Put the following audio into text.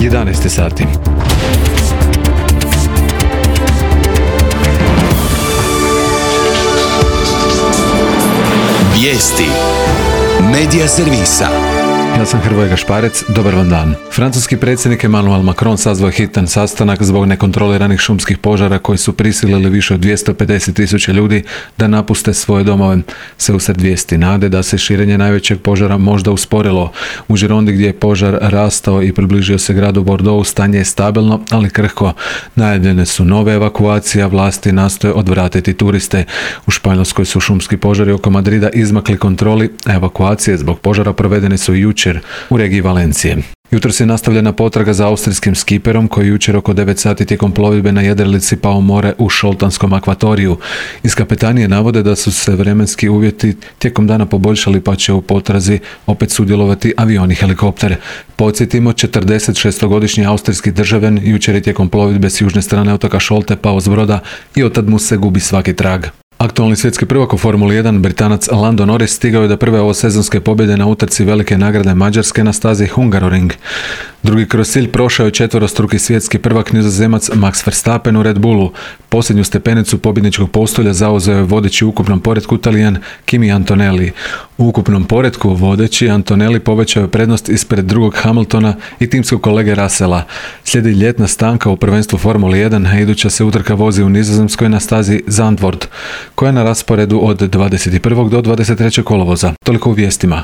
11 sati. Vijesti Medija servisa. Ja sam Hrvoje Gašparec, dobar vam dan. Francuski predsjednik Emmanuel Macron sazvao hitan sastanak zbog nekontroliranih šumskih požara koji su prisilili više od 250.000 ljudi da napuste svoje domove. Sve usred vijesti nade da se širenje najvećeg požara možda usporilo. U Girondi gdje je požar rastao i približio se gradu Bordeaux, stanje je stabilno, ali krhko. Najavljene su nove evakuacije, a vlasti nastoje odvratiti turiste. U Španjolskoj su šumski požari oko Madrida izmakli kontroli, a evakuacije zbog požara provedene su jučer u regiji Valencije. Jutros je nastavljena potraga za austrijskim skiperom koji jučer oko 9 sati tijekom plovidbe na jedrilici pao u more u Šoltanskom akvatoriju. Iz kapetanije navode da su se vremenski uvjeti tijekom dana poboljšali pa će u potrazi opet sudjelovati avioni i helikoptere. Podsjetimo, 46-godišnji austrijski državljan jučer je tijekom plovidbe s južne strane otoka Šolte pao s broda i otad mu se gubi svaki trag. Aktualni svjetski prvak u Formuli 1, Britanac Lando Norris, stigao je do prve ovosezonske pobjede na utrci velike nagrade Mađarske na stazi Hungaroring. Drugi kroz cilj prošao je četvorostruki svjetski prvak Nizozemac Max Verstappen u Red Bullu. Posljednju stepenicu pobjedničkog postolja zauzeo je vodeći u ukupnom poretku Talijan Kimi Antonelli. U ukupnom poretku vodeći Antonelli povećao je prednost ispred drugog Hamiltona i timskog kolege Russella. Slijedi ljetna stanka u prvenstvu Formuli 1, a iduća se utrka vozi u Nizozemskoj na stazi Zandvoort, koja je na rasporedu od 21. do 23. kolovoza. Toliko u vijestima.